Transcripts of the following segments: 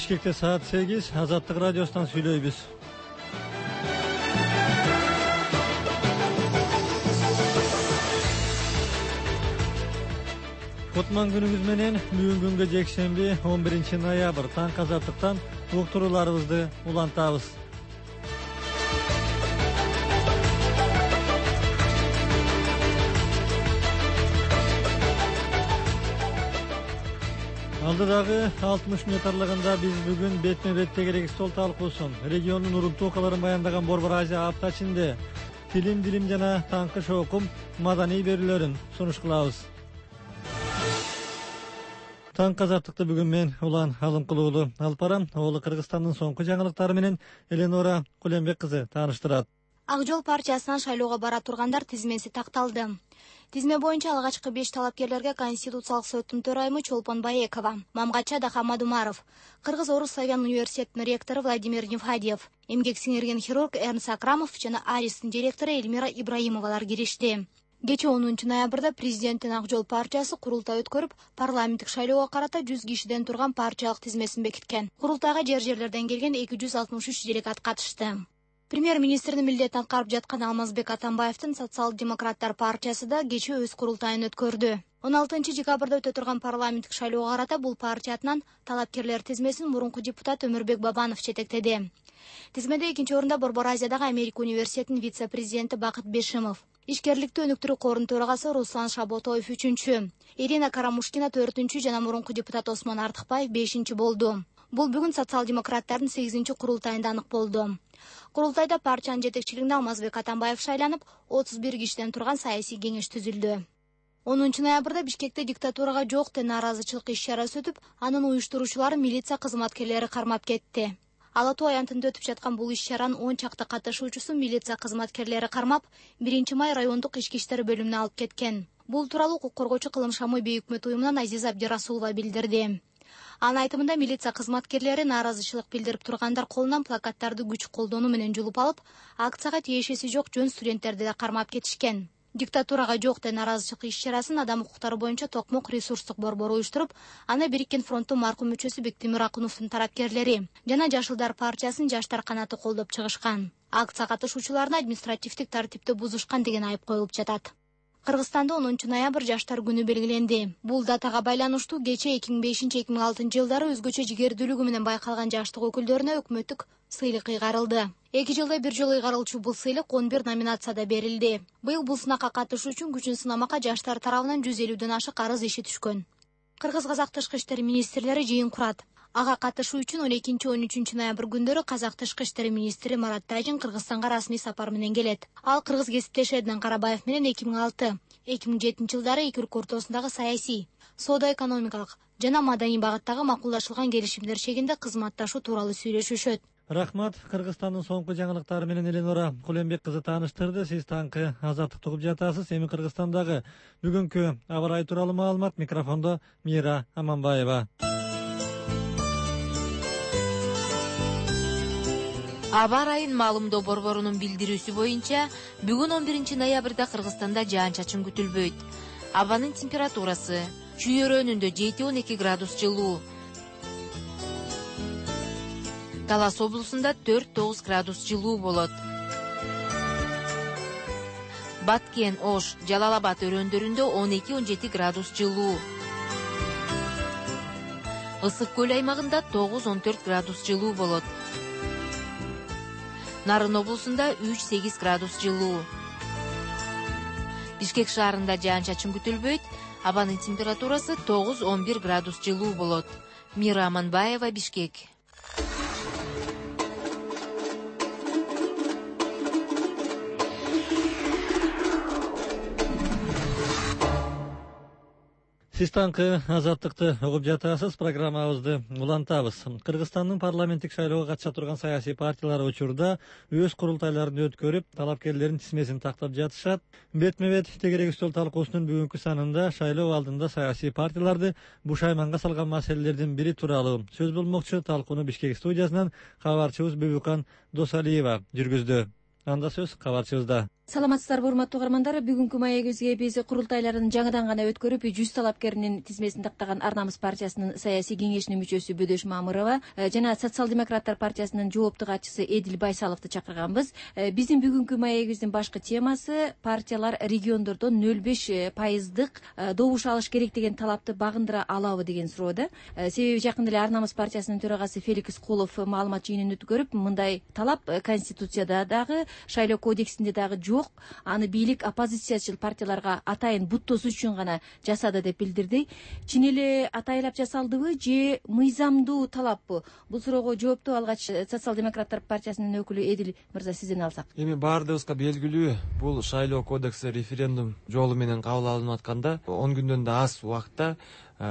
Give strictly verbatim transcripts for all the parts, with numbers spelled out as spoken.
Бишкекте саат сегиз, Азаттык радиосунан сүйлөйбүз. Кутман күнүңүз менен бүгүнкү күнгө жекшемби он биринчи ноябрь таң азаттыктан уктурууларыбызды улантабыз. Алдыдагы алтымыш мүнөт аралыгында биз бүгүн бетме-бет тегерек стол талкуусун, региондун уруктуу окуяларын баяндаган Борбор Азия апта ичинде тилим, дилим жана таңкы шоокум маданий берүүлөрүн сунуш кылабыз. Таң азаттыкты бүгүн мен Улан Алымкулуулу алып барам. Ол Кыргызстандын соңку жаңылыктары менен Эленора Кулембек кызы тааныштырат. Ак жол партиясынан шайлоого бара тургандар тизмеси такталды. Тизме боюнча алгачкы беш талапкерлерге Конституциялык соттун төрайымы Чолпон Баекова, Мамгача Дахамадумаров, Кыргыз-Орус славян университетинин ректору Владимир Невхадьев, эмгек сиңирген хирург Эрнс Акрамов жана Аристин директору Эльмира Ибраимовалар киришти. Кечээ онунчу ноябрда президенттин Ак жол партиясы курултай өткөрүп, парламенттик шайлоого карата жүз кишиден турган партиялык тизмесин бекиткен. Курултайга жер жерлерден келген эки жүз алтымыш үч делегат катышты. Премьер-министрдин милдетин аткарып жаткан Алмазбек Атамбаевдин Социал-демократтар партиясы да кечээ өз курултайын өткөрдү. он алтынчы декабрда өтө турган парламенттик шайлоого карата бул партиянын талапкерлер тизмесин мурунку депутат Өмүрбек Бабанов жетектеди. Тизмеде экинчи орунда Борбор Азиядагы Америка университетинин вице-президенти Бакыт Бешимов, Ишкерликтүү өнүктүрүү корунун төрагасы Руслан Шаботоев үчүнчү, Ирина Карамушкина төртүнчү жана мурунку депутат Осмон Артыкбаев бешинчи болду. Бул бүгүн социал-демократтардын сегизинчи курултайында анык болду. Курултайда партиянын жетекчилигинде Алмазбек Атамбаев шайланып, отуз бир кишиден турган саясий кеңеш түзүлдү. онунчу ноябрда Бишкекте диктатурага жок деген нааразычылык иш-чарасы өтүп, анын уюштуруучулары милиция кызматкерлери кармап кетти. Ала Тоо аянтында өтүп жаткан бул иш-чаранын он чакты катышуучусун милиция кызматкерлери кармап, биринчи май райондук ички иштер бөлүмүнө алып кеткен. Бул тууралуу укук коргоочу Кылым Шамой Бейөкмөт уюмунан Азиза Абдирасулова билдирди. Анын айтымында милиция кызматкерлери нааразычылык билдирип тургандар колунан плакаттарды күч колдонуу менен жулуп алып, акцияга тиешеси жок жөн студенттерди да кармап кетишкен. Диктатурага жок деген нааразычылык иш-чарасын адам укуктары боюнча Токмок ресурстук борбору уюштуруп, аны Бириккен фронттун маркум мүчөсү Бектемир Акуновдун тарапкерлери жана Жашылдар партиясынын жаштар канаты колдоп чыгышкан. Акция катышуучуларына административдик тартипти бузушкан деген айып коюлуп жатат. Кыргызстанда онунчу ноябрь жаштар күнү белгиленди. Бул датага байланыштуу кечээ эки миң бешинчи эки миң алтынчы жылдары өзгөчө жигердүүлүгү менен байкалган жаштык өкүлдөрүнө өкмөттүк сыйлык ыйгарылды. Эки жылда бир жолу ыйгарылчу бул сыйлык он бир номинацияда берилди. Быйыл бул сынакка катышуу үчүн күчүн сынамакка жаштар тарабынан жүз элүүдөн ашык арыз иши түшкөн. Кыргыз-казак тышкы иштер министрлери жыйын курат. Ага катышуу үчүн он экинчи он үчүнчү ноябрь күндөрү Казак тышкы иштер министри Марат Тажин Кыргызстанга расмий сапар менен келет. Ал кыргыз кесиптеши Эднан Карабаев менен эки миң алты эки миң жетинчи жылдары эки өлкө ортосундагы саясий, соода-экономикалык жана маданий багыттагы макулдашылган келишимдер чегинде кызматташуу тууралуу сүйлөшүшөт. Рахмат. Кыргызстандын соңку жаңылыктары менен Эленора Кулембек кызы тааныштырды. Сиз таңкы азаттыкты угуп жатасыз. Эми Кыргызстандагы бүгүнкү аба ырайы тууралуу маалымат микрофондо Мира Аманбаева. Аба ырайын маалымдоо борборунун билдирүүсү боюнча, бүгүн он биринчи ноябрда Кыргызстанда жаан-чачын күтүлбөйт. Абанын температурасы чүйөрөнүндө жети он эки градус жылуу, Талас облусунда төрт тогуз градус жылуу болот. Баткен, Ош, Жалал Абад өрөөндөрүндө он эки он жети градус жылуу. Ысык көл аймагында тогуз он төрт градус жылуу болот. Нарын облусунда үч сегиз градус жылуу. Бишкек шаарында жаан-чачын күтүлбөйт. Абанын температурасы тогуз он бир градус жылуу болот. Мира Аманбаева, Бишкек. Сиз таңкы азаттыкты угуп жатасыз. Программабызды улантабыз. Кыргызстандын парламенттик шайлоого катыша турган саясий партиялар учурда өз курултайларын өткөрүп, талапкерлердин тизмесин тактап жатышат. Бетме-бет тегерек стол талкуусунун бүгүнкү санында шайлоо алдында саясий партияларды бушайманга салган маселелердин бири тууралуу сөз болмокчу. Талкууну Бишкек студиясынан кабарчыбыз Бүбүкан Досалиева жүргүздү. Анда сөз кабарчыбызда. Саламатсыздарбы урматтуу угармандар, бүгүнкү маегибизге биз курултайларын жаңыдан гана өткөрүп жүз талапкеринин тизмесин тактаган Ар намыс партиясынын саясий кеңешинин мүчөсү Бөдөш Мамырова жана Социал-демократтар партиясынын жоопту катчысы Эдил Байсаловду чакырганбыз. Биздин бүгүнкү маегибиздин башкы темасы партиялар региондордон нөл беш пайыздык добуш алыш керек деген талапты багындыра алабы деген суроодо. Себеби жакында эле Ар намыс партиясынын төрагасы Феликс Кулов маалымат жыйынын өткөрүп, мындай талап Конституцияда дагы, шайлоо кодексинде дагы жок. Аны бийлик оппозициячыл партияларга атайын буттоосу үчүн гана жасады деп билдирди. Чын эле атайлап жасалдыбы же мыйзамдуу талаппы? Бул суроого жоопту алгач Социал-демократтар партиясынын өкүлү Эдил мырза сизден алсак. Эми баардыгыбызга белгилүү, бул шайлоо кодекси референдум жолу менен кабыл алынып атканда он күндөн да аз убакытта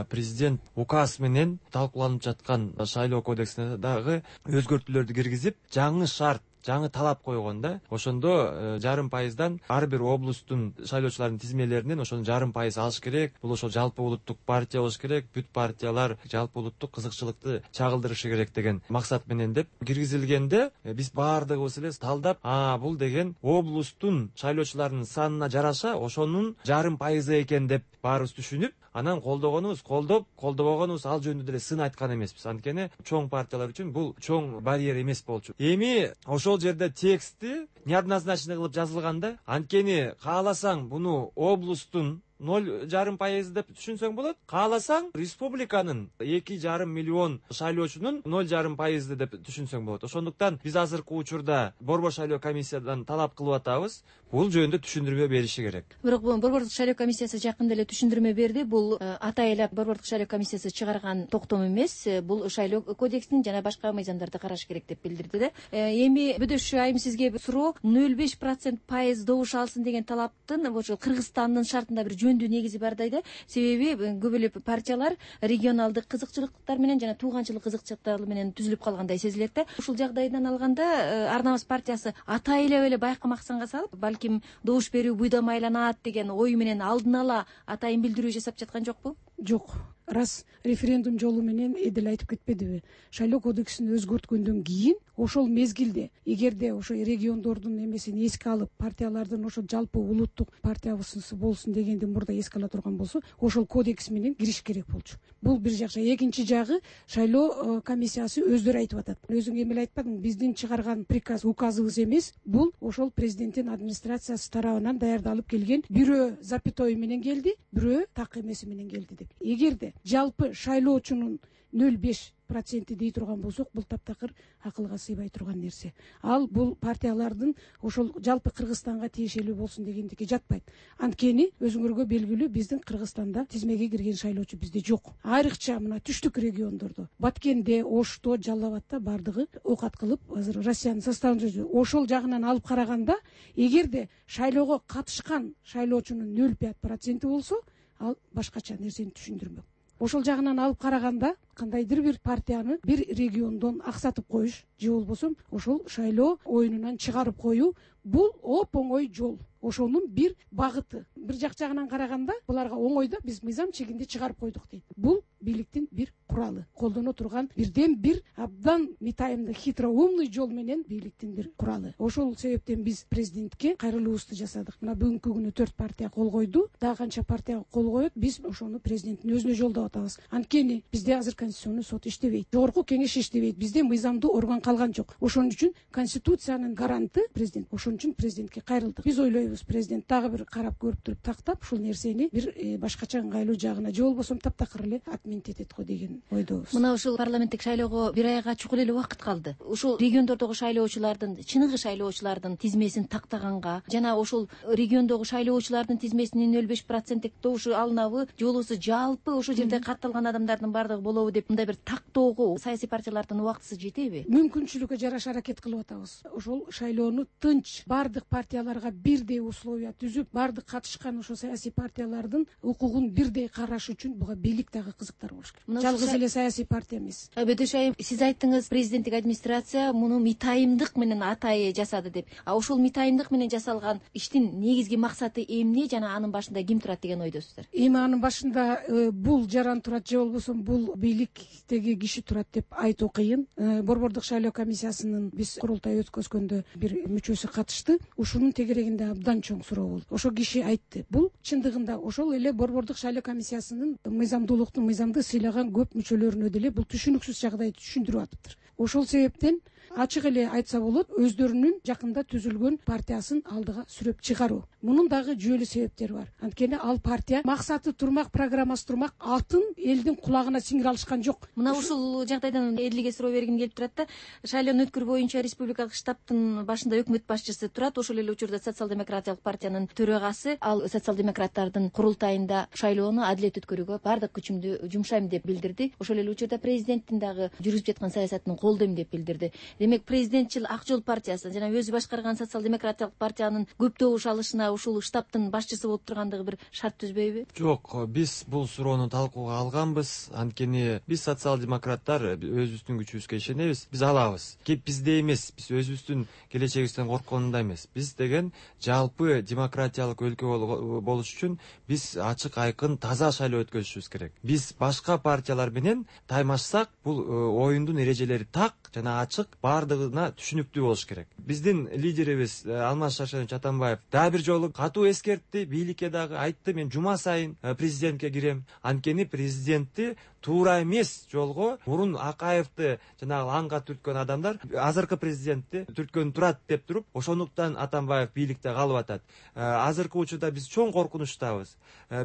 президент указ менен талкууланып жаткан шайлоо кодексине дагы өзгөртүүлөрдү киргизип, жаңы шарт, жаңы талап койгон да. Ошондо жарым пайыздан ар бир облустун шайлоочулардын тизмелеринен ошону жарым пайыз алыш керек. Бул ошо жалпы улуттук партия болуш керек, бүт партиялар жалпы улуттук кызыкчылыкты чагылдырышы керек деген максат менен деп киргизилгенде, биз баардыгыбыз эле талдап, а бул деген облустун шайлоочуларынын санына жараша ошонун жарым пайызы экен деп баарыбыз түшүнүп, анан колдогонубуз колдоп, колдобогонубуз ал жөнүндө деле сын айткан эмеспиз. Анткени чоң партиялар үчүн бул чоң барьер эмес болчу. Эми ошол жерде текстти неоднозначно кылып жазылганда, анткени кааласаң буну облустун ноль жарым пайыз деп түшүнсөң болот. Кааласаң республиканын эки жарым миллион шайлоочунун ноль жарым пайызды деп түшүнсөң болот. Ошондуктан биз азыркы учурда Борбор шайлоо комиссиядан талап кылып атабыз, бул жөнүндө түшүндүрмө бериши керек. Бирок Борбордук шайлоо комиссиясы жакында эле түшүндүрмө берди. Бул атайлап Борбордук шайлоо комиссиясы чыгарган токтом эмес, бул шайлоо кодексин жана башка мыйзамдарды караш керек деп билдирди да. Эми Бөдөш айым сизге суроо, ноль беш процент пайыз добуш алсын деген талаптын ошо Кыргызстандын шартында бир жөндүү негизи бар да. Себеби көп эле партиялар регионалдык кызыкчылыктар менен жана тууганчылык кызыкчылыктар менен түзүлүп калгандай сезилет да. Ушул жагдайдан алганда Ар намыс партиясы атайлап эле байкамаксанга салып, балким добуш берүү буйда майланат деген ой менен алдын ала атайын билдирүү жасап жаткан жокпу? Жок. Раз референдум жолу менен Эдил айтып кетпедиби? Шайлоо кодексин өзгөрткөндөн кийин ошол мезгилде эгерде ошо региондордун эмесин эске алып, партиялардын ошо жалпы улуттук партиябызсы болсун дегенди мурда эске ала турган болсо, ошол кодекс менен кириш керек болчу. Бул бир жакча. Экинчи жагы, шайлоо комиссиясы өздөрү айтып атат. Өзүң эмне айтпадың? Биздин чыгарган приказ, указыбыз эмес, бул ошол президенттин администрациясы тарабынан даярдалып келген, бирөө запятой менен келди, бирөө так эмеси менен келди деп. Эгерде жалпы шайлоочунун ноль беш проценти дей турган болсок, бул таптакыр акылга сыйбай турган нерсе. Ал бул партиялардын ошол жалпы Кыргызстанга тиешелүү болсун дегендикке жатпайт. Анткени өзүңөргө белгилүү, биздин Кыргызстанда тизмеге кирген шайлоочу бизде жок. Айрыкча мына түштүк региондордо, Баткенде, Ошто, Жалал Абадта бардыгы окат кылып, азыр Россиянын составында жүр. Ошол жагынан алып караганда, эгерде шайлоого катышкан шайлоочунун ноль пять проценти болсо, ал башкача нерсени түшүндүрмөк. Ошол жагынан алып караганда, кандайдыр бир партияны бир региондон аксатып коюш же болбосо ошол шайлоо оюнунан чыгарып коюу, бул оп оңой жол. Ошонун бир багыты. Бир жак жагынан караганда, буларга оңой да, биз мыйзам чегинде чыгарып койдук дейт. Бул бийликтин бир куралы, колдоно турган бирден бир абдан митайымды хитроумный жол менен бийликтин бир куралы. Ошол себептен биз президентке кайрылуубузду жасадык. Мына бүгүнкү күнү төрт партия кол койду, дагы канча партия кол коет, биз ошону президенттин өзүнө жолдоп атабыз. Анткени бизде азыр Конституционный сот иштебейт, жогорку кеңеш иштебейт, бизде мыйзамдуу орган калган жок. Ошон үчүн Конституциянын гаранты президент. Ошон үчүн президентке кайрылдык. Биз ойлойбуз, президент дагы бир карап көрүп туруп тактап, ушул нерсени бир башкача ыңгайлуу жагына же болбосо таптакыр эле отменить этет го деген ойдобуз. Мына ушул парламенттик шайлоого бир айга чукул эле убакыт калды. Ушул региондордогу шайлоочулардын, чыныгы шайлоочулардын тизмесин тактаганга жана ошол региондогу шайлоочулардын тизмесинин ноль беш проценттик добушу алынабы, же болбосо жалпы ошол жерде катталган адамдардын бардыгы болобу деп мындай бир тактоого саясий партиялардын убактысы жетеби? Мүмкүнчүлүккө жараша аракет кылып атабыз. Ошол шайлоону тынч, бардык партияларга бирдей условия түзүп, бардык катышкан ошо саясий партиялардын укугун бирдей караш үчүн буга бийлик дагы кызыктар болуш керек. Жалгыз аз эле саясий партия эмес. Бөдөш айым, сиз айттыңыз, президенттик администрация муну митайымдык менен атайы жасады деп. А ошол митайымдык менен жасалган иштин негизги максаты эмне жана анын башында ким турат деген ойдосуздар? Эми анын башында бул жаран турат же болбосо бул бийликтеги киши турат деп айтуу кыйын. Борбордук шайлоо комиссиясынын биз курултай өткөзгөндө бир мүчөсү катышты. Ушунун тегерегинде абдан чоң суроо болду. Ошол киши айтты. Бул чындыгында ошол эле борбордук шайлоо комиссиясынын мыйзамдуулуктун мыйзамды сыйлаган көп мүчөлөрүнө деле бул түшүнүксүз жагдайды түшүндүрүп атыптыр. Ошол себептен ачык эле айтса болот, өздөрүнүн жакында түзүлгөн партиясын алдыга сүрөп чыгаруу. Мунун дагы жүйөлүү себептери бар. Анткени ал партия максаты турмак, программасы турмак, атын элдин кулагына сиңире алышкан жок. Мына ушул жагдайдан элиге суроо бергим келип турат да. Шайлоону өткөрүү боюнча республикалык штабтын башында өкмөт башчысы турат. Ошол эле учурда социал-демократиялык партиянын төрагасы, ал социал-демократтардын курултайында шайлоону адилет өткөрүүгө бардык күчүмдү жумшайм деп билдирди. Ошол эле учурда президенттин дагы жүргүзүп жаткан саясатын колдойм деп билдирди. Демек президентчил Ак Жол партиясы жана өзү башкарган социал-демократиялык партиянын көп добуш алышына ушул штабтын башчысы болуп тургандыгы бир шарт түзбөйбү? Жок, биз бул суроону талкууга алганбыз. Анткени биз социал-демократтар өзүбүздүн күчүбүзгө ишенебиз. Биз алабыз. Кеп бизде эмес, биз өзүбүздүн келечегибизден коркконунда эмес. Биз деген жалпы демократиялык өлкө болуш үчүн биз ачык, айкын, таза шайлоо өткөзүшүбүз керек. Биз башка партиялар менен таймашсак, бул оюндун эрежелери так жана ачык, бардыгына түшүнүктүү болуш керек. Биздин лидерибиз Алмаз Шаршенович Атамбаев дагы бир жолу катуу эскертти, бийликке дагы айтты, мен жума сайын президентке кирем. Анткени президентти туура эмес жолго мурун Акаевди жанагы лаңга түрткөн адамдар азыркы президентти түрткөн турат деп туруп, ошондуктан Атамбаев бийликте калып атат. Азыркы учурда биз чоң коркунучтабыз.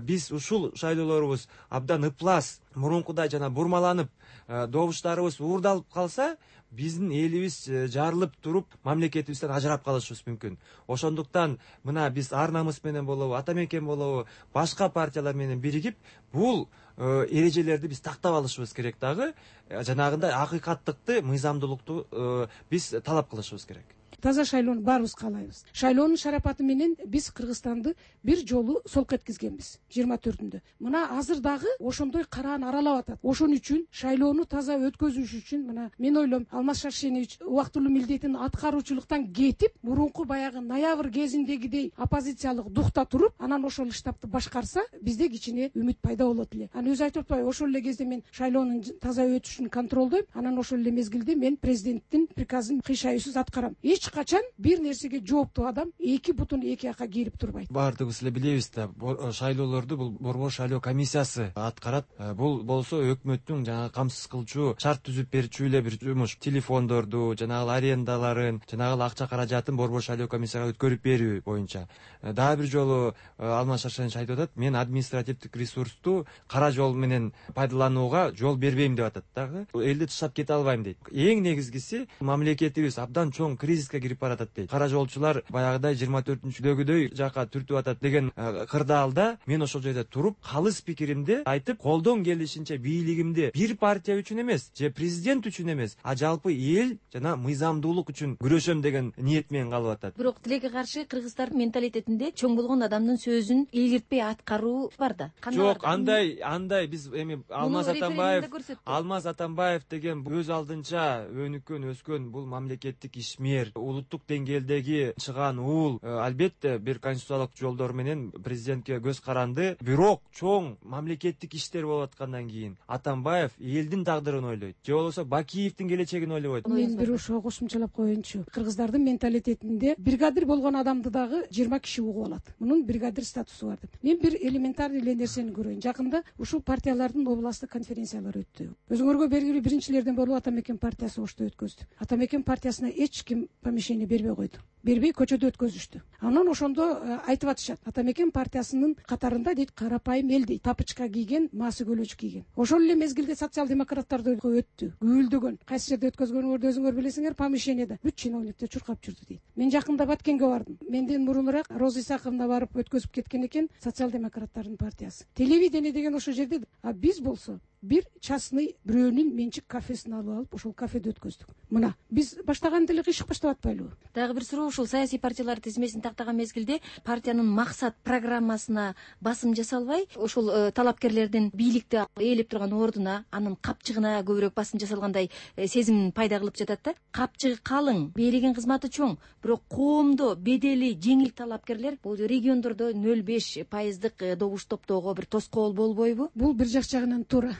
Биз ушул шайлоолорубуз абдан ыплас, мурункудай жана бурмаланып, добуштарыбыз уурдалып калса, биздин элибиз жарылып туруп, мамлекетибизден ажырап калышыбыз мүмкүн. Ошондуктан мына биз ар намыс менен болобу, ата мекен болобу, башка партиялар менен биригип, бул эрежелерди биз тактап алышыбыз керек дагы, жанагындай акыйкаттыкты, мыйзамдуулукту биз талап кылышыбыз керек. Таза шайлоону баарыбыз каалайбыз. Шайлоонун шарапаты менен биз Кыргызстанды бир жолу солко эткизгенбиз жыйырма төртүндө. Мына азыр дагы ошондой караан аралап атат. Ошон үчүн шайлоону таза өткөзүш үчүн мына мен ойлойм, Алмаз Шаршенович убактылуу милдетин аткаруучулуктан кетип, мурунку баягы ноябрь кезиндегидей оппозициялык духта туруп, анан ошол штабты башкарса, бизде кичине үмүт пайда болот эле. Анан өзү айтып атпайбы, ошол эле кезде мен шайлоонун таза өтүшүн контролдойм, анан ошол эле мезгилде мен президенттин приказын кыйшаюусуз аткарам. Эч качан бир нерсеге жооптуу адам эки бутун эки жака кирип турбайт. Бардыгыбыз эле билебиз да, шайлоолорду бул борбор шайлоо комиссиясы аткарат. Бул болсо өкмөттүн жанагы камсыз кылчу, шарт түзүп берчү эле бир жумуш. Телефондорду, жанагы арендаларын, жанагы акча каражатын борбор шайлоо комиссияга өткөрүп берүү боюнча. Дагы бир жолу Алмаз Шаршенович айтып атат, мен административдик ресурсту кара жол менен пайдаланууга жол бербейм деп атат дагы. Элди таштап кете албайм дейт. Эң негизгиси, мамлекетибиз абдан чоң кризиске кирип баратат дейт. Кара жолчулар баягыдай жыйырма төртүнчүдөгүдөй жака түртүп атат деген кырдаалда мен ошол жерде туруп, калыс пикиримди айтып, колдон келишинче бийлигимди бир партия үчүн эмес, же президент үчүн эмес, а жалпы эл жана мыйзамдуулук үчүн күрөшөм деген ниет менен калып атат. Бирок тилекке каршы кыргыздардын менталитетинде чоң болгон адамдын сөзүн илгиртпей аткаруу бар да. Жок, андай андай биз эми Алмаз Атамбаев, Алмаз Атамбаев деген өз алдынча өнүккөн, өскөн бул мамлекеттик ишмер, улуттук деңгээлдеги чыган уул, албетте бир конституциялык жолдор менен президентке көз каранды. Бирок чоң мамлекеттик иштер болуп аткандан кийин Атамбаев элдин тагдырын ойлойт, же болбосо Бакиевдин келечегин ойлобойт. Мен бир ошо кошумчалап коеюнчу. Кыргыздардын менталитетинде бригадир болгон адамды дагы жыйырма киши угуп алат. Мунун бригадир статусу бар деп. Мен бир элементарный эле нерсени көрөйүн. Жакында ушул партиялардын областтык конференциялары өттү. Өзүңөргө белгилүү биринчилерден болуп Ата мекен партиясы ошто өткөздү. Ата мекен партиясына эч ким помещение бербей койду. Бербей көчөдө өткөзүштү. Анан ошондо айтып атышат. Ата мекен партиясынын катарында дейт карапайым эл дейт, тапычка кийген, маасы көлөч кийген. Ошол эле мезгилде социал-демократтарды өттү, гүлдөгөн. Кайсы жерде өткөзгөнүңөрдү өзүңөр билесиңер, помещениеде бүт чиновниктер чуркап жүрдү дейт. Мен жакында Баткенге бардым. Менден мурунураак Роза Исаковна барып өткөзүп кеткен экен социал-демократтардын партиясы. Телевидение деген ошол жерде, а биз болсо бир частный бирөөнүн менчик кафесин алып алып, ошол кафеде өткөздүк. Мына, биз баштаганда эле кыйшык баштап атпайлыбы? Дагы бир суроо, ушул саясий партиялар тизмесин тактаган мезгилде партиянын максат программасына басым жасалбай, ушул талапкерлердин бийликти ээлеп турган ордуна, анын капчыгына көбүрөөк басым жасалгандай сезим пайда кылып жатат да. Капчыгы калың, берилген кызматы чоң, бирок коомдо бедели жеңил талапкерлер бул региондордо нөл беш пайыздык добуш топтоого бир тоскоол болбойбу? Бул бир жак жагынан туура.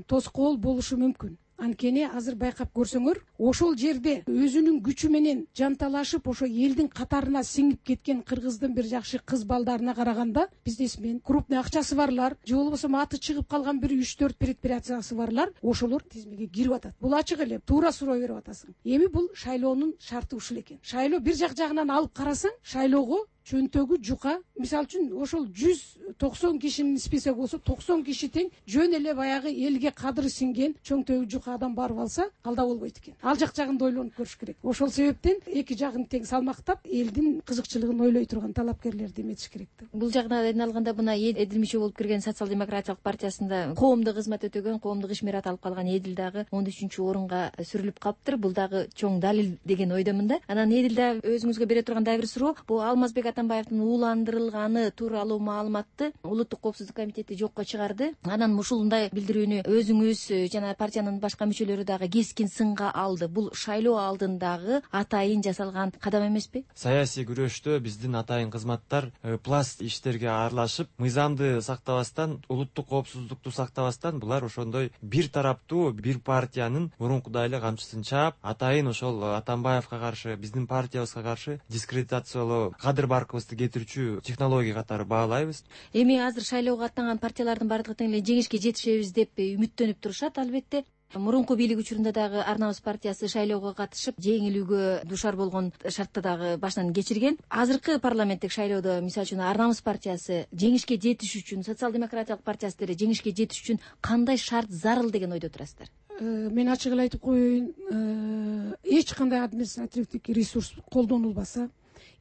Тоскоол болушу мүмкүн. Анткени азыр байкап көрсөңөр, ошол жерде өзүнүн күчү менен жанталашып, ошо элдин катарына сиңип кеткен кыргыздын бир жакшы кыз балдарына караганда, бизнесмен, крупный акчасы барлар, же болбосо аты чыгып калган бир үч төрт предприятиясы барлар, ошолор тизмеге кирип атат. Бул ачык эле, туура суроо берип атасың. Эми бул шайлоонун шарты ушул экен. Шайлоо бир жак жагынан алып карасаң, шайлоого чөнтөгү жука, мисалы үчүн ошол жүз токсон кишинин списоги болсо, токсон киши тең жөн эле баягы элге кадыры сиңген чөнтөгү жука адам барып алса, калда болбойт экен. Ал жак жагын да ойлонуп көрүш керек. Ошол себептен эки жагын тең салмактап, элдин кызыкчылыгын ойлой турган талапкерлерди эметиш керек да. Бул жагынан алганда мына Эдил мүчө болуп кирген социал-демократиялык партиясында коомдук кызмат өтөгөн, коомдук ишмерат алып калган Эдил дагы он үчүнчү орунга сүрүлүп калыптыр. Бул дагы чоң далил деген ойдомун да. Анан Эдил да өзүңүзгө бере турган дагы бир суроо, бул Алмазбек Атамбаевдин ууландырылганы тууралуу маалыматты Улуттук коопсуздук комитети жокко чыгарды. Анан ушундай билдирүүнү өзүңүз жана партиянын башка мүчөлөрү дагы кескин сынга алды. Бул шайлоо алдындагы атайын жасалган кадам эмеспи? Саясий күрөштө биздин атайын кызматтар пласт иштерге аралашып, мыйзамды сактабастан, улуттук коопсуздукту сактабастан, булар ошондой бир тараптуу бир партиянын мурункудай эле камчысын чаап, атайын ошол Атамбаевга каршы, биздин партиябызга каршы дискредитациялоо, кадыр баркыбызды кетирүүчү технология катары баалайбыз. Эми азыр шайлоого аттанган партиялардын бардыгы тең эле жеңишке жетишебиз деп үмүттөнүп турушат, албетте. Мурунку бийлик учурунда дагы Ар намыс партиясы шайлоого катышып, жеңилүүгө душар болгон шартты дагы башынан кечирген. Азыркы парламенттик шайлоодо, мисалы үчүн, Ар намыс партиясы жеңишке жетиш үчүн, социал-демократиялык партиясы деле жеңишке жетиш үчүн кандай шарт зарыл деген ойдо турасыздар? Мен ачык эле айтып коеюн, эч кандай административдик ресурс колдонулбаса,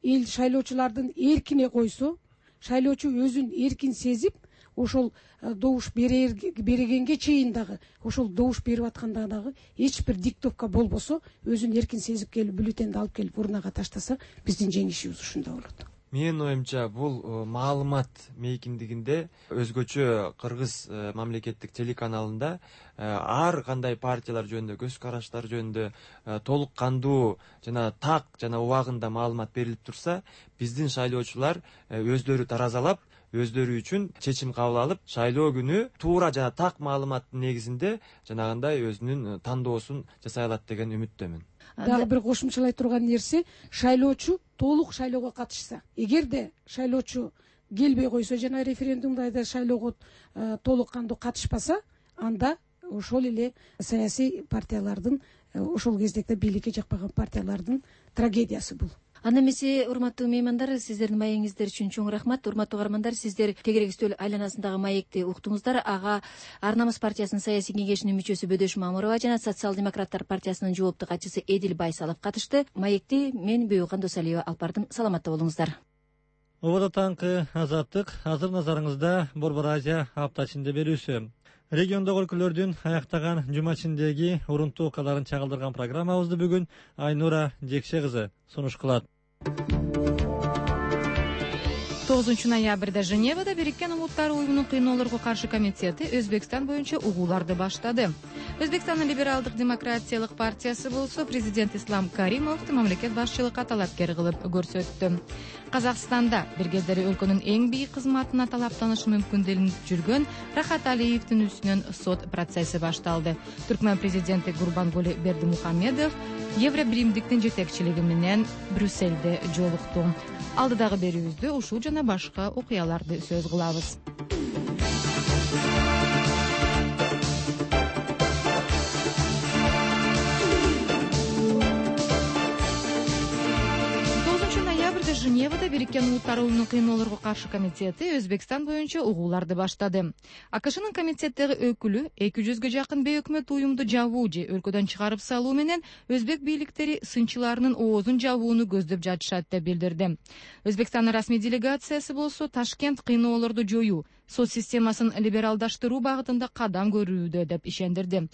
эл шайлоочулардын эркине койсо, шайлоочу өзүн эркин сезип, ошол добуш берегенге чейин дагы, ошол добуш берип атканда дагы эч бир диктовка болбосо, өзүн эркин сезип келип, бюллетенди алып келип урнага таштаса, биздин жеңишибиз ушунда болот. Менин оюмча, бул маалымат мейкиндигинде өзгөчө кыргыз мамлекеттик телеканалында ар кандай партиялар жөнүндө, көз караштар жөнүндө толук кандуу жана так жана убагында маалымат берилип турса, биздин шайлоочулар өздөрү таразалап, өздөрү үчүн чечим кабыл алып, шайлоо күнү туура жана так маалыматтын негизинде жанагындай өзүнүн тандоосун жасай алат деген үмүттөмүн. Дагы бир кошумчалай турган нерсе, шайлоочу толук шайлоого катышса, эгерде шайлоочу келбей койсо, жана референдумда шайлоого толук кандуу катышпаса, анда ошол эле саясий партиялардын, ошол кездекте бийликке жакпаган партиялардын трагедиясы бул. Анда эмесе, урматтуу меймандар, сиздердин маегиңиздер үчүн чоң рахмат. Урматтуу каармандар, сиздер тегерек үстөл айланасындагы маекти уктуңуздар. Ага Ар намыс партиясынын саясий кеңешинин мүчөсү Бөдөш Мамырова жана социал-демократтар партиясынын жоопту катчысы Эдил Байсалов катышты. Маекти мен Бөйөкан Досалиева алып бардым. Саламатта болуңуздар. Убада таңкы Азаттык. Азыр назарыңызда Борбор Азия апта ичинде берүүсү. Региондогу өлкөлөрдүн аяктаган жума ичиндеги урунтуу окуяларын чагылдырган программабызды бүгүн Айнура Жекше кызы сунуш кылат. тогузунчу ноябрда Женевада Бириккен Улуттар уюмунун кыйноолорго каршы комитети Өзбекстан боюнча угууларды баштады. Өзбекстандын либералдык демократиялык партиясы болсо президент Ислам Каримовду мамлекет башчылыкка талапкер кылып көрсөттү. Казакстанда бир кездери өлкөнүн эң бийик кызматына талаптанышы мүмкүн делинип жүргөн Рахат Алиевдин үстүнөн сот процесси башталды. Түркмөн президенти Гурбангулы Бердимухамедов Евробиримдиктин жетекчилиги менен Брюссельде жолукту. Алдыдагы берүүбүздө ушул жана башка окуяларды сөз кылабыз. Женевада Бириккен Улуттар уюмунун кыйноолорго каршы комитети Өзбекстан боюнча угууларды баштады. АКШнын комитеттеги өкүлү эки жүзгө жакын бейөкмөт уюмду жабуу же өлкөдөн чыгарып салуу менен өзбек бийликтери сынчыларынын оозун жабууну көздөп жатышат деп билдирди. Өзбекстандын расмий делегациясы болсо Ташкент кыйноолорду жоюу, сот системасын либералдаштыруу багытында кадам көрүүдө деп ишендирди.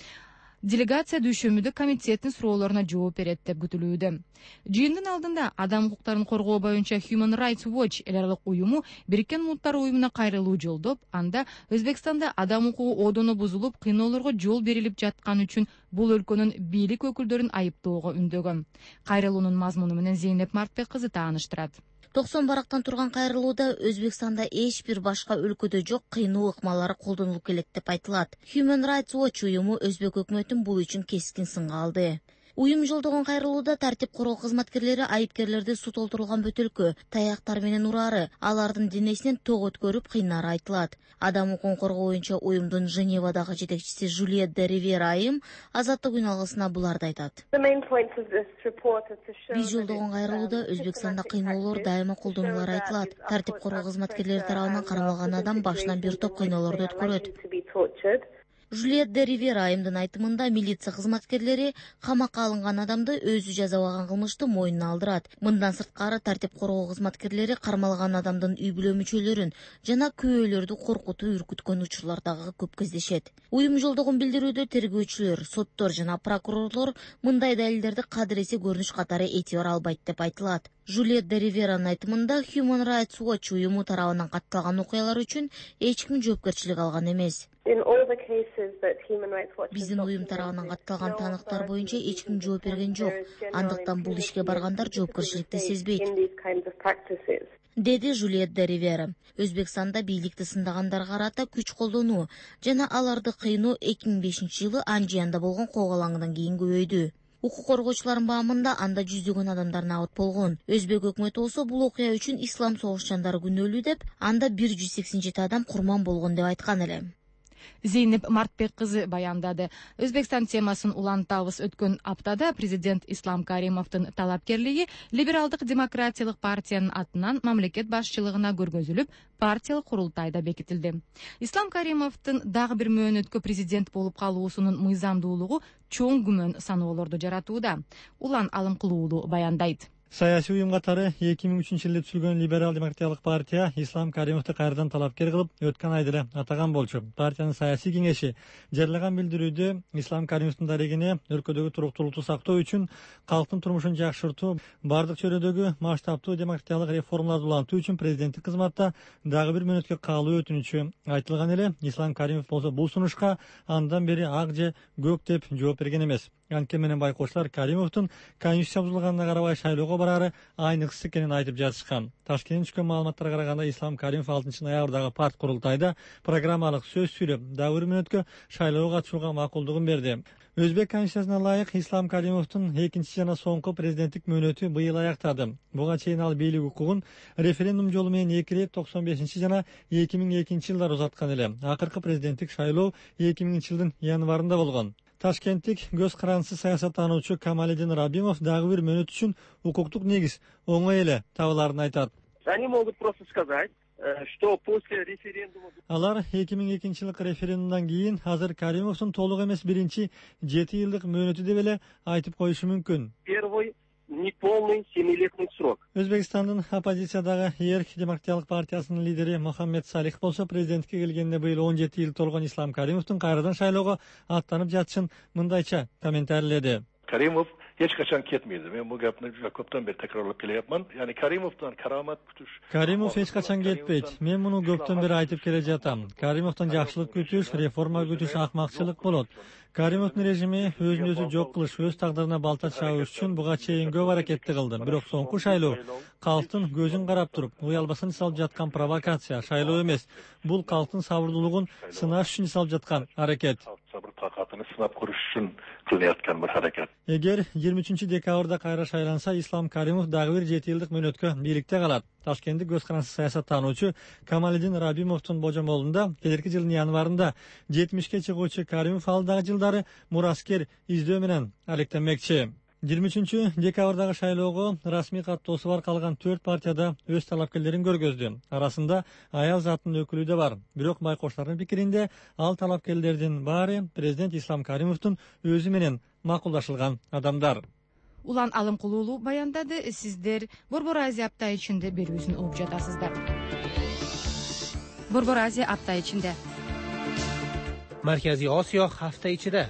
делегация дүйшөмбүдө комитеттин суроолоруна жооп берет деп күтүлүүдө. Жыйындын алдында адам укуктарын коргоо боюнча Human Rights Watch эл аралык уюму Бириккен Улуттар уюмуна кайрылуу жолдоп, анда Өзбекстанда адам укугу одону бузулуп, кыйноолорго жол берилип жатканы үчүн бул өлкөнүн бийлик өкүлдөрүн айыптоого үндөгөн. Кайрылуунун мазмуну менен Зейнеп Мартбек кызы тааныштырат. токсон барактан турган кайрылууда Өзбекстанда эч бир башка өлкөдө жок кыйноо ыкмалары колдонулуп келет деп айтылат. Human Rights Watch уюму Өзбек өкмөтүн бул үчүн кескин сынга алды. Уюм жолдогон кайрылууда тартип коргоо кызматкерлери айыпкерлерди сут олтурулган бөтөлкө, таяктар менен урары, алардын денесинен ток өткөрүп кыйнары айтылат. Адам укугун коргоо боюнча уюмдун Женевадагы жетекчиси Жюльет де Ривера айым азаттык үн алгысына буларды айтат. Биз жолдогон кайрылууда Өзбекстанда кыйноолор дайыма колдонулары айтылат. Тартип коргоо кызматкерлери тарабынан кармалган адам башынан бир топ кыйноолорду өткөрөт. Жюльет де Ривера айымдын айтымында милиция кызматкерлери камакка алынган адамды өзү жазабаган кылмышты мойнуна алдырат. Мындан сырткары тартип коргоо кызматкерлери кармалган адамдын үй бүлө мүчөлөрүн жана күбөлөрдү коркутуп үркүткөн учурлардагы көп кездешет. Уюм жолдогон билдирүүдө тергөөчүлөр, соттор жана прокурорлор мындай далилдерди кадыресе көрүнүш катары этибар албайт деп айтылат. Жюльет де Риверанын айтымында Human Rights Watch уюму тарабынан катталган окуялар үчүн эч ким жоопкерчилик алган эмес. Биздин уюм тарабынан катталган тааныктар боюнча эч ким жооп берген жок. Андыктан бул ишке баргандар жоопкерчиликти сезбейт, деди Жюльет де Ривера. Өзбекстанда бийликти сындагандарга карата күч колдонуу жана аларды кыйноо эки миң бешинчи жылы Анжиянда болгон коогалаңдан кийин көбөйдү. Укук коргоочулардын баамында анда жүздөгөн адамдар набыт болгон. Өзбек өкмөтү болсо бул окуя үчүн ислам согушчандары күнөөлүү деп, анда бир жүз сексен жети адам курман болгон деп айткан эле. Зейнеп Мартбек кызы баяндады. Өзбекстан темасын улантабыз. Өткөн аптада президент Ислам Каримовдун талапкерлиги либералдык демократиялык партиянын атынан мамлекет башчылыгына көргөзүлүп, партиялык курултайда бекитилди. Ислам Каримовдун дагы бир мөөнөткө президент болуп калуусунун мыйзамдуулугу чоң күмөн саноолорду жаратууда. Улан Алымкулуулу баяндайт. Саясий уюм катары эки миң үчүнчү жылы түзүлгөн либерал демократиялык партия Ислам Каримовду кайрадан талапкер кылып, өткөн айда эле атаган болчу. Партиянын саясий кеңеши жарыяган билдирүүдө Ислам Каримовдун дарегине өлкөдөгү туруктуулукту сактоо үчүн, калктын турмушун жакшыртуу, бардык чөйрөдөгү масштабтуу демократиялык реформаларды улантуу үчүн президенттик кызматта дагы бир мөөнөткө калуу өтүнүчү айтылган эле. Ислам Каримов болсо бул сунушка андан бери ак же көк деп жооп берген эмес. Анткени менен байкоочулар Каримовдун конституция бузулганына карабай шайлоого барары айныксыз экенин айтып жатышкан. Ташкенттен түшкөн маалыматтарга караганда Ислам Каримов алтынчы ноябрдагы парт курултайда программалык сөз сүйлөп, дагы бир мөөнөткө шайлоого катышууга макулдугун берди. Өзбек конституциясына ылайык Ислам Каримовдун экинчи жана соңку президенттик мөөнөтү быйыл аяктады. Буга чейин ал бийлик укугун референдум жолу менен эки ирет токсон бешинчи жана эки миң экинчи жылдары узаткан эле. Акыркы президенттик шайлоо эки миңинчи жылдын январында болгон. Ташкенттик көз карансыз саясаттануучу Камалидин Рабимов дагы бир мөөнөт үчүн укуктук негиз оңой эле табыларын айтат. Они могут просто сказать, что после референдума... Алар эки миң экинчи жылкы референдумдан кийин азыр Каримовдун толук эмес биринчи жети жылдык мөөнөтү деп эле айтып коюшу мүмкүн. Первый неполный семилетний срок. Өзбекстандын оппозициядагы Эрк демократиялык партиясынын лидери Мухаммед Салих болсо президентке келгенде быйыл он жети жыл толгон Ислам Каримовдун кайрадан шайлоого аттанып жатышын мындайча комментарийледи. Karimov hech qachon ketmaydi. Men bu gapni juda ko'pdan beri takrorlab kelyapman. Ya'ni Karimovdan karomat kutish. Karimov hech qachon ketmaydi. Men buni ko'pdan beri aytib kela жатам. Karimovdan yaxshilik kutish, reforma kutish ahmoqchilik bo'ladi. Karimovдун режими өзүн өзү жок кылыш, өз тагдырына балта чабыш үчүн буга чейин көп аракетти кылды. Бирок соңку шайлоо калктын көзүн карап туруп, уялбасын салып жаткан провокация, шайлоо эмес. Бул калктын сабырдуулугун сынаш үчүн салып жаткан аракет. Sabır takatını sınap kuruş için kılınayotgan bir hareket. Эгер жыйырма үчүнчү декабрда кайра шайланса, Ислам Каримов дагы бир жети жылдык мөөнөткө бийликте калат. Ташкенттик көз карансыз саясаттануучу Камалидин Рабимовдун божомолунда келерки жылдын январында жетимишке чыгуучу Каримов ал дагы жылдары мураскер издөө менен алектенмекчи. жыйырма үчүнчү декабрдагы шайлоого расмий каттоосу бар калган төрт партияда өз талапкерлерин көргөздү. Арасында аял затынын өкүлү да бар. Бирок байкоочулардын пикиринде ал талапкерлердин баары президент Ислам Каримовдун өзү менен макулдашылган адамдар. Улан Алымкулуулу баяндады. Сиздер Борбор Азия апта ичинде берүүсүн угуп жатасыздар. Борбор Азия апта ичинде. Markaziy Osiyo hafta ichida.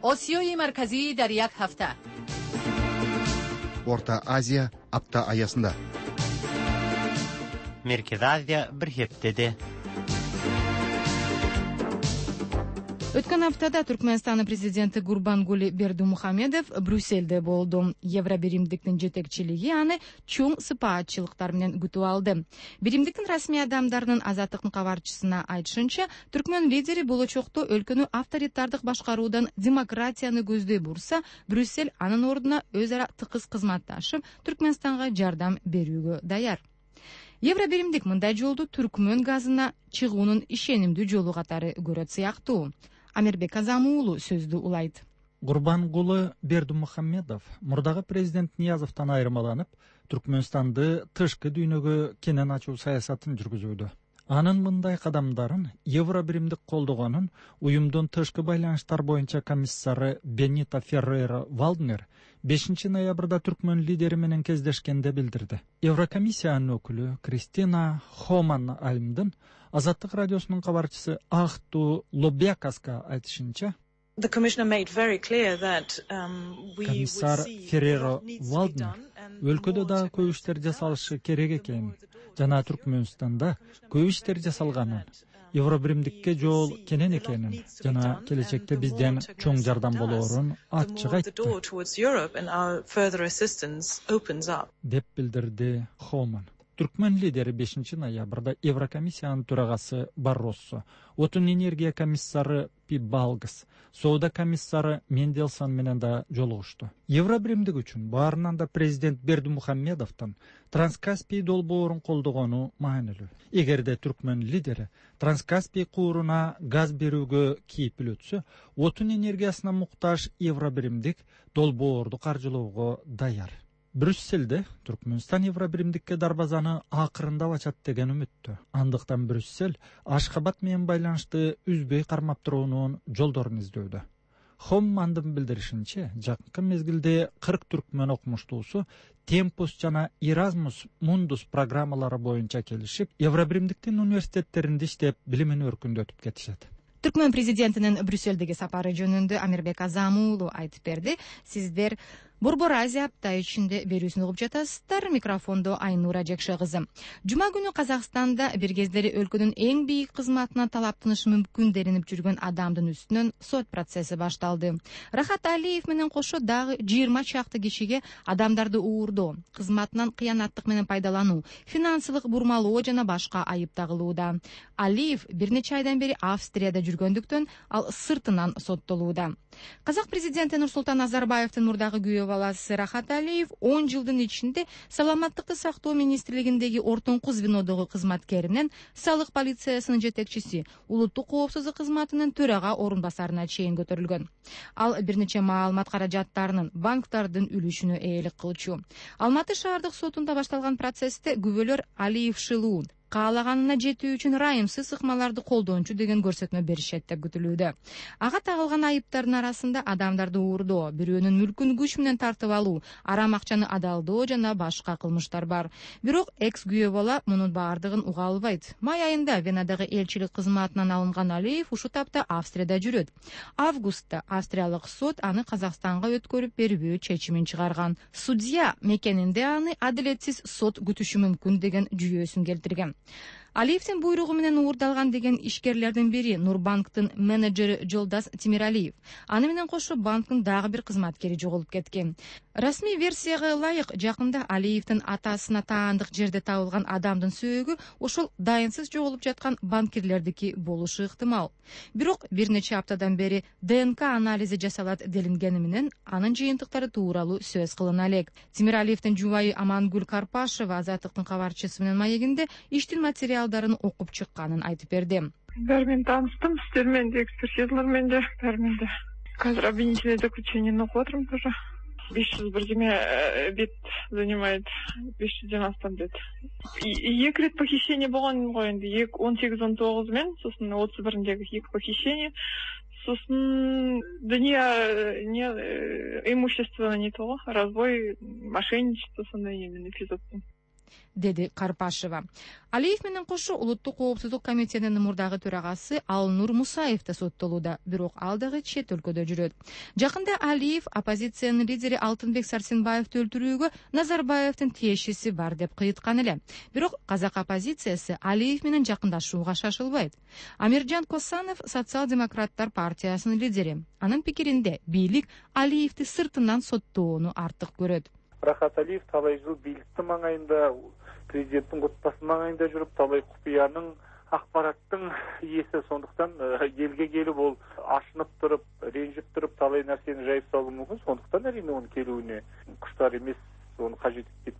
آسیای مرکزی در یک هفته. Орта Азия апта аясында. Merkez Азия bir heftede. Өткөн аптада Түркмөнстандын президенти Гурбангули Бердимухамедов Брюссельде болду. Евробиримдиктин жетекчилиги аны чоң сыпаатчылыктар менен күтүп алды. Биримдиктин расмий адамдарынын азаттыктын кабарчысына айтышынча, түркмөн лидери болочокто өлкөнү авторитардык башкаруудан демократияны көздөй бурса, Брюссель анын ордуна өз ара тыкыз кызматташып, Түркмөнстанга жардам берүүгө даяр. Евробиримдик мындай жолду түркмөн газына чыгуунун ишенимдүү жолу катары көрөт сыяктуу. Амирбек Азам уулу сөздү улайт. Гурбангулы Бердимухамедов мурдагы президент Ниязовдон айырмаланып, Түркмөнстанды тышкы дүйнөгө кенен ачуу саясатын жүргүзүүдө. Анын мындай кадамдарын Евробиримдик колдогонун уюмдун тышкы байланыштар боюнча комиссары Бенито Феррейра Валднер бешинчи ноябрда түркмөн лидери менен кездешкенде билдирди. Еврокомиссиянын өкүлү Кристина Хоман Альмдын Азаттык радиосунун кабарчысы Ахту Лобякаска айтышынча, комиссар Феррейра Валднер өлкөдө дагы көп иштер жасалышы керек экенин жана Түркмөнстанда көп иштер жасалганын, Евробиримдикке жол кенен экенин жана келечекте бизден чоң жардам болоорун ачык айтты деп билдирди Хоман. Түркмөн лидери бешинчи ноябрда Еврокомиссиянын төрагасы Барроссо, отун энергия комиссары Пибалгс, соода комиссары Менделсон менен да жолугушту. Евробиримдик үчүн баарынан да президент Бердимухамедовдун Транскаспий долбоорун колдогону маанилүү. Эгерде түркмөн лидери Транскаспий кууруна газ берүүгө кийипил өтсө, отун энергиясына муктаж Евробиримдик долбоорду каржылоого даяр. Брюссельде Түркмөнстан Евробиримдикке дарбазаны акырындап ачат деген үмүттө. Андыктан Брюссель Ашхабад менен байланышты үзбөй кармап туруунун жолдорун издөүдө. Хоммандын билдиришинче, жакынкы мезгилде кырк түркмөн окумуштуусу Темпус жана Erasmus Mundus программалары боюнча келишип, Евробиримдиктин университеттеринде иштеп, билимин өркүндөтүп кетишет. Түркмөн президентинин Брюссельдеги сапары жөнүндө Амирбек Азам уулу айтып берди. Сиздер Борбор Азия апта ичинде берүүсүн угуп жатасыздар. Микрофондо Айнура Жекше кызы. Жума күнү Казакстанда бир кездери өлкөнүн эң бийик кызматына талаптанышы мүмкүн делинип жүргөн адамдын үстүнөн сот процесси башталды. Рахат Алиев менен кошо дагы жыйырма чакты кишиге адамдарды уурдоо, кызматынан кыянаттык менен пайдалануу, финансылык бурмалоо жана башка айып тагылууда. Алиев бир нече айдан бери Австрияда жүргөндүктөн ал сыртынан соттолууда. Казак президенти Нурсултан Назарбаевдин мурдагы күйөө баласы Рахат Алиев он жылдын ичинде саламаттыкты сактоо министрлигиндеги ортоңку звенодогу кызматкеринен салык полициясынын жетекчиси, улуттук коопсуздук кызматынын төрага орун басарына чейин көтөрүлгөн. Ал бир нече маалымат каражаттарынын банктардын үлүшүнө ээлик кылчу. Алматы шаардык сотунда башталган процессте күбөлөр Алиев шылуун каалаганына жетүү үчүн райымсыз ыкмаларды колдончу деген көрсөтмө беришет деп күтүлүүдө. Ага тагылган айыптардын арасында адамдарды уурдоо, бирөөнүн мүлкүн күч менен тартып алуу, арам акчаны адалдоо жана башка кылмыштар бар. Бирок экс күйөө бала мунун баардыгын уга албайт. Май айында Венадагы элчилик кызматынан алынган Алиев ушул тапта Австрияда жүрөт. Августта австриялык сот аны Казакстанга өткөрүп бербөө чечимин чыгарган. Судья мекенинде аны адилетсиз сот күтүшү мүмкүн деген жүйөсүн келтирген. Алиевдин буйругу менен уурдалган деген ишкерлердин бири Нурбанктын менеджери Жолдас Тимиралиев. Аны менен кошо банктын дагы бир кызматкери жоголуп кеткен. Расмий версияга ылайык, жакында Алиевдин атасына таандык жерде табылган адамдын сөөгү ошол дайынсыз жоголуп жаткан банкирлердики болушу ыктымал. Бирок бир нече аптадан бери ДНК анализи жасалат делингени менен анын жыйынтыктары тууралуу сөз кылына элек. Тимиралиевдин жубайы Амангүл Карпашева Азаттыктын кабарчысы менен маегинде иштин материалдарын окуп чыкканын айтып берди. Баары менен тааныстым, сиздер менен де, экспертизалар менен де, баары менен де. Азыр обвинительное заключениени окуп атырмын тоже. беш жүз бир жеме бет занимает, беш жүздөн астам бет. Эки рет похищение болгон го энди, он сегиз он тогуз мен, сосын отуз бириндеги эки похищение, сосын дания не имущество не того, разбой, мошенничество, сондай эмне эпизод. деди Карпашева. Алиев менен кошо улуттук коопсуздук комитетинин мурдагы төрагасы Алнур Мусаев да соттолууда, бирок ал дагы чет өлкөдө жүрөт. Жакында Алиев оппозициянын лидери Алтынбек Сарсенбаевди өлтүрүүгө Назарбаевдин тиешеси бар деп кыйыткан эле. Бирок казак оппозициясы Алиев менен жакындашууга шашылбайт. Амиржан Косанов социал-демократтар партиясынын лидери. Анын пикиринде бийлик Алиевди сыртынан соттоону артык көрөт. Рахат Алиев талай жыл бийликтин маңайында, президенттин кутпасынын маңайында жүрүп, талай купуянын, акпараттын ээси, сондуктан элге келип ол ашынып туруп, ренжип туруп, талай нерсени жайып салуу мүмкүн. Сондуктан әрине onun келүүнү куштар эмес, onu кажет этпейт.